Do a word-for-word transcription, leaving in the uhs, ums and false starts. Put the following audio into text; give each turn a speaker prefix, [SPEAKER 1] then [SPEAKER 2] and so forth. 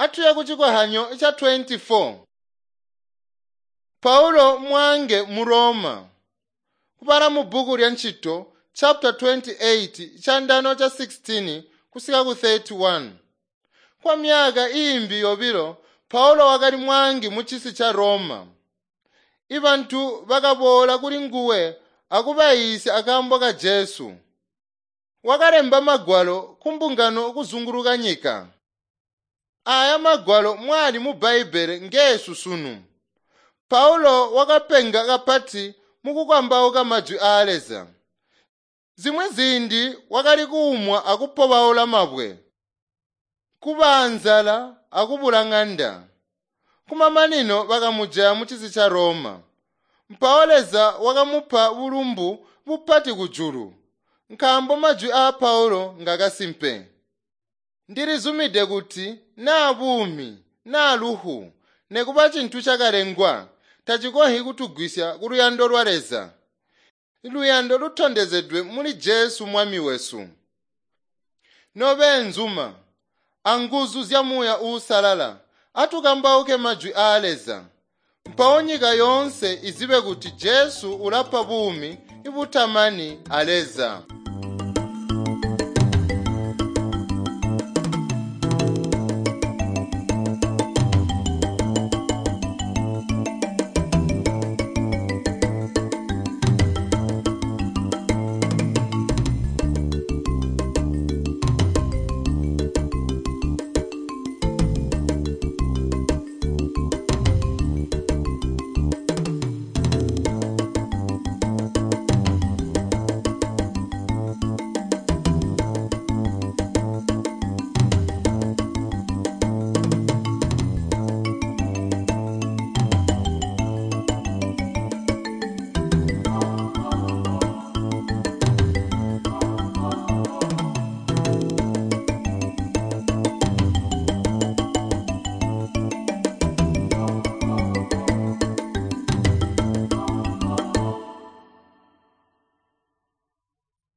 [SPEAKER 1] Atuye ku cikohanyo ca twenty-four. Paulo mwange mu Roma. Kubala mu bhuku lya Ntchito chapter twenty-eight chandano cha sixteen kusika ku thirty-one. Kwa myaka imbi yobilo Paulo wakali mwangi mu chisi cha Roma. Ibantu bakaboola kuli nguwe akubayisya akaambo ka Jesu. Wakalemba magwalo kumbungano kuzunguluka nyika. Aya magwalo mwali mu Bhaibhele ngeesu sunu. Paulo wakapenga kapati mukukambauka majwi aa Leza. Zimwi ziindi wakali kuumwa akupobaula mabwe, kuba nzala akubula ng'anda. Kumamanino bakamujaya mu cisi ca Roma. Mpawo Leza wakamupa bulumbu bupati kujulu, nkaambo majwi aa Paulo ngakasimpe. Ndilizumide kuti naa buumi naa lufu nekuba cintu chakalengwa tacikonzyi kutugwisya kuluyando lwa Leza. Luyando lutondezedwe muli Jesu Mwami wesu. Nobeenzuma, anguzu zya Muuya Uusalala, atukambauke majwi aa Leza. Mpawo nyika yoonse izibe kuti Jesu ulapa buumi butamani a Leza.